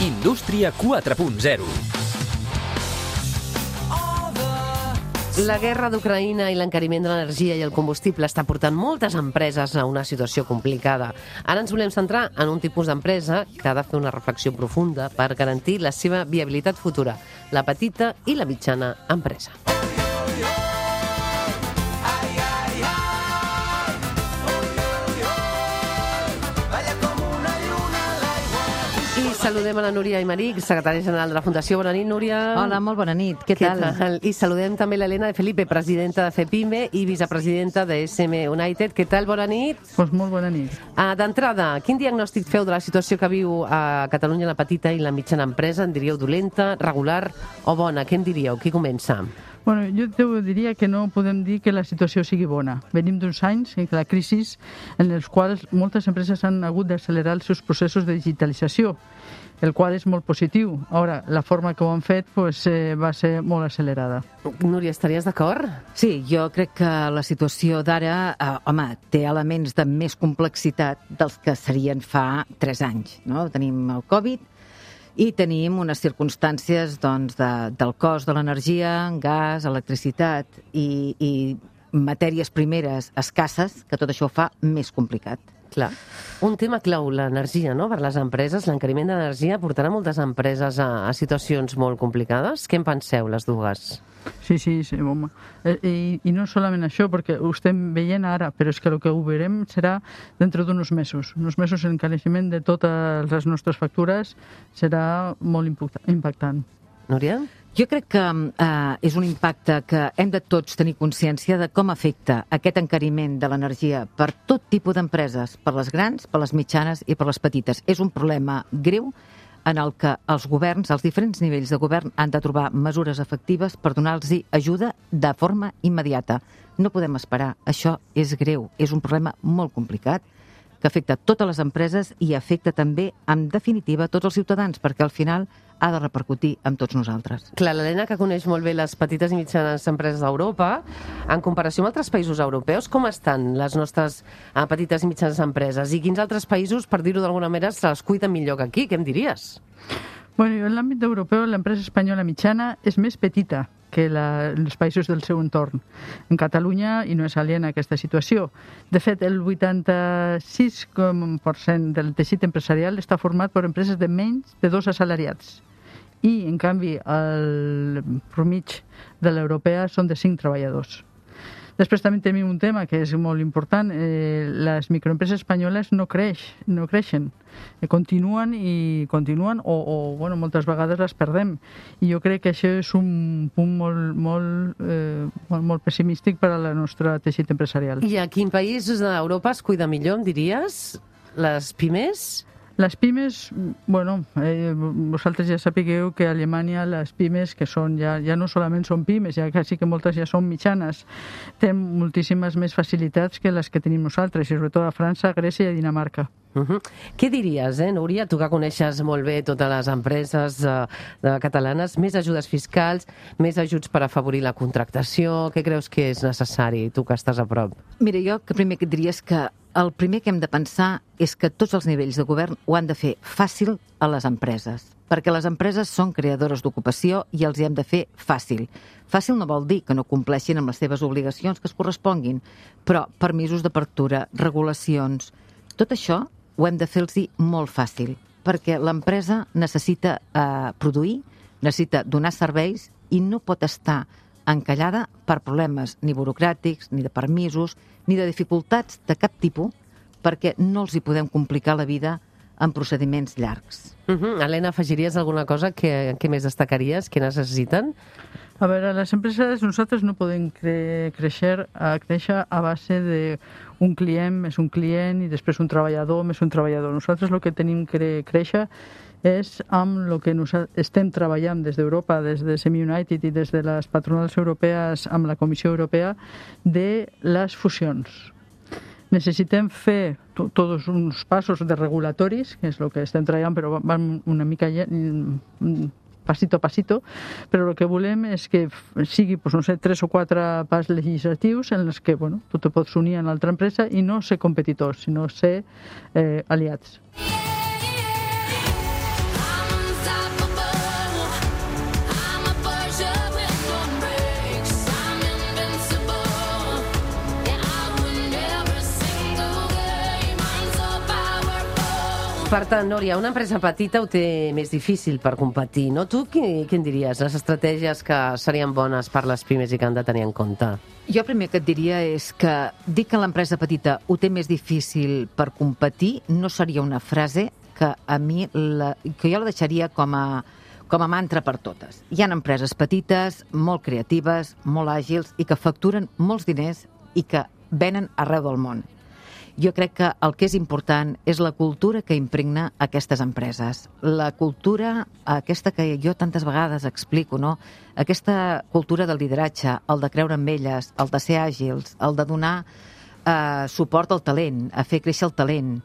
Indústria 4.0. La guerra d'Ucraïna i l'encariment de l'energia i el combustible està portant moltes empreses a una situació complicada. Ara ens volem centrar en un tipus d'empresa que ha de fer una reflexió profunda per garantir la seva viabilitat futura, la petita i la mitjana empresa. Saludem a la Núria Aymeric, secretària general de la Fundació. Bona nit, Núria. Hola, molt bona nit. Què tal? I saludem també l'Helena de Felipe, presidenta de FEPIME i vicepresidenta de SM United. Què tal? Bona nit. Doncs molt bona nit. D'entrada, quin diagnòstic feu de la situació que viu a Catalunya la petita i la mitjana empresa? En diríeu dolenta, regular o bona? Què en diríeu? Qui comença? Bueno, jo diria que no podem dir que la situació sigui bona. Venim d'uns anys en la crisi en els quals moltes empreses han hagut d'accelerar els seus processos de digitalització, el qual és molt positiu. Ara, la forma que ho han fet va ser molt accelerada. Núria, estaries d'acord? Sí, jo crec que la situació d'ara, té elements de més complexitat dels que serien fa 3 anys. No? Tenim el Covid i tenim unes circumstàncies del cost de l'energia, gas, electricitat i matèries primeres escasses, que tot això ho fa més complicat. Clar. Un tema clau, l'energia, no?, per les empreses. L'encariment d'energia portarà moltes empreses a situacions molt complicades. Què en penseu, les dues? Sí, home. I no solament això, perquè ho estem veient ara, però és que el que ho veurem serà dintre d'uns mesos. Uns mesos l'encariment de totes les nostres factures serà molt impactant. Núria? Jo crec que és un impacte que hem de tots tenir consciència de com afecta aquest encariment de l'energia per tot tipus d'empreses, per les grans, per les mitjanes i per les petites. És un problema greu en el que els governs, els diferents nivells de govern, han de trobar mesures efectives per donar-los ajuda de forma immediata. No podem esperar. Això és greu. És un problema molt complicat que afecta totes les empreses i afecta també, en definitiva, tots els ciutadans, perquè al final ha de repercutir amb tots nosaltres. Clar, l'Helena, que coneix molt bé les petites i mitjanes empreses d'Europa, en comparació amb altres països europeus, com estan les nostres petites i mitjanes empreses? I quins altres països, per dir-ho d'alguna manera, se les cuiden millor que aquí? Què em diries? Bueno, en l'àmbit europeu, l'empresa espanyola mitjana és més petita que els països del seu entorn. En Catalunya, i no és aliena a aquesta situació. De fet, el 86% del teixit empresarial està format per empreses de menys de 2 assalariats. I, en canvi, el mitjà de l'europea són de 5 treballadors. Després també tenim un tema que és molt important. Les microempreses espanyoles no creixen. Continuen o moltes vegades les perdem. I jo crec que això és un punt molt pessimístic per al nostre teixit empresarial. I a quin país d'Europa es cuida millor, em diries? Les pimes? Les pimes, vosaltres ja sapigueu que a Alemanya les pimes, que són ja no solament són pimes, ja quasi que moltes ja són mitjanes, tenen moltíssimes més facilitats que les que tenim nosaltres, i sobretot a França, Grècia i Dinamarca. Què diries, Núria, tu que coneixes molt bé totes les empreses catalanes, més ajudes fiscals, més ajuts per afavorir la contractació, què creus que és necessari, tu que estàs a prop? Mira, jo que primer que et diria és que el primer que hem de pensar és que tots els nivells de govern ho han de fer fàcil a les empreses, perquè les empreses són creadores d'ocupació i els hi hem de fer fàcil. Fàcil no vol dir que no compleixin amb les seves obligacions que es corresponguin, però permisos d'apertura, regulacions, tot això ho hem de fer-los molt fàcil, perquè l'empresa necessita produir, necessita donar serveis i no pot estar encallada per problemes ni burocràtics, ni de permisos, ni de dificultats de cap tipus, perquè no els hi podem complicar la vida en procediments llargs. Helena, afegiries alguna cosa? Què més destacaries? Què necessiten? A veure, les empreses, nosaltres no podem créixer a base d'un client més un client i després un treballador més un treballador. Nosaltres el que tenim que créixer és amb el que estem treballant des d'Europa, des de SM United i des de les patronals europees amb la Comissió Europea, de les fusions. Necessitem fer tots uns passos de regulatoris, que és el que estem treballant, però van una mica pasito a pasito, però el que volem és que sigui, 3 o 4 pas legislatius en els que tu te pots unir a una altra empresa i no ser competitors, sinó ser aliats. Per tant, Núria, una empresa petita ho té més difícil per competir, no? Tu què en diries? Les estratègies que serien bones per les pimes i que han de tenir en compte? Jo primer que et diria és que dir que l'empresa petita ho té més difícil per competir no seria una frase que a mi que jo la deixaria com a mantra per totes. Hi ha empreses petites, molt creatives, molt àgils i que facturen molts diners i que venen arreu del món. Jo crec que el que és important és la cultura que impregna aquestes empreses. La cultura, aquesta que jo tantes vegades explico, no? Aquesta cultura del lideratge, el de creure en elles, el de ser àgils, el de donar suport al talent, a fer créixer el talent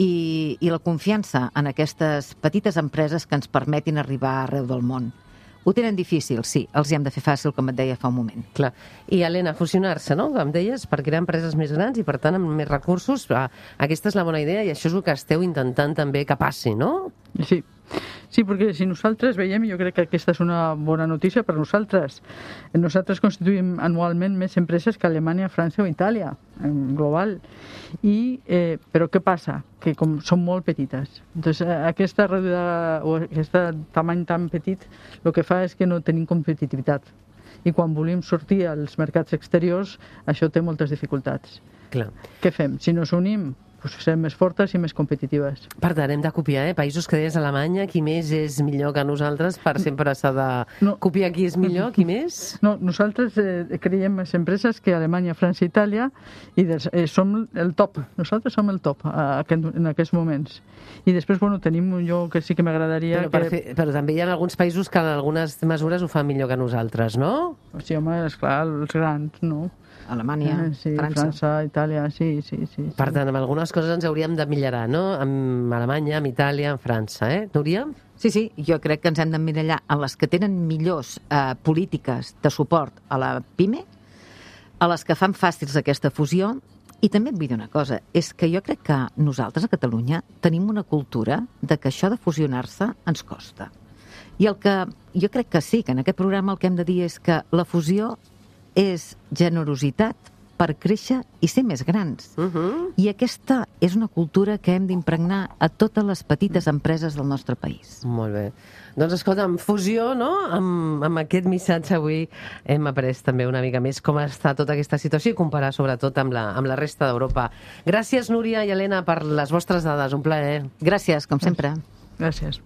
i la confiança en aquestes petites empreses que ens permetin arribar arreu del món. Ho tenen difícil, sí, els hi hem de fer fàcil, com et deia fa un moment. Clar. I, Helena, fusionar-se, no?, com deies, per crear empreses més grans i, per tant, amb més recursos. Aquesta és la bona idea i això és el que esteu intentant també que passi, no? Sí, perquè si nosaltres veiem, jo crec que aquesta és una bona notícia per nosaltres. Nosaltres constituïm anualment més empreses que Alemanya, França o Itàlia, en global. Però què passa? Que com són molt petites. Entonces, aquesta reduïda o aquest tamany tan petit el que fa és que no tenim competitivitat. I quan volem sortir als mercats exteriors, això té moltes dificultats. Clar. Què fem? Si nos unim, pues serem més fortes i més competitives. Per tant, hem de copiar, països que deies Alemanya, qui més és millor que nosaltres, per sempre s'ha de copiar qui és millor, qui més? No, nosaltres creiem més empreses que Alemanya, França i Itàlia i som el top, nosaltres som el top en aquests moments. I després, tenim un lloc que sí que m'agradaria... Però també hi ha alguns països que en algunes mesures ho fan millor que nosaltres, no? Sí, home, esclar, els grans, no? Alemanya, França, Itàlia, sí. Per tant, amb algunes coses ens hauríem de millorar, no? Amb Alemanya, amb Itàlia, amb França, Núria? Sí, jo crec que ens hem d'emmirallar en les que tenen millors polítiques de suport a la PIME, a les que fan fàcils aquesta fusió, i també et vull dir una cosa, és que jo crec que nosaltres a Catalunya tenim una cultura de que això de fusionar-se ens costa. I el que jo crec que sí, que en aquest programa el que hem de dir és que la fusió és generositat per créixer i ser més grans. I aquesta és una cultura que hem d'impregnar a totes les petites empreses del nostre país. Molt bé. Doncs escolta, amb fusió, no? Amb aquest missatge avui hem après també una mica més com està tota aquesta situació i comparar sobretot amb la resta d'Europa. Gràcies, Núria i Helena, per les vostres dades. Un plaer. Gràcies, com sempre. Gràcies.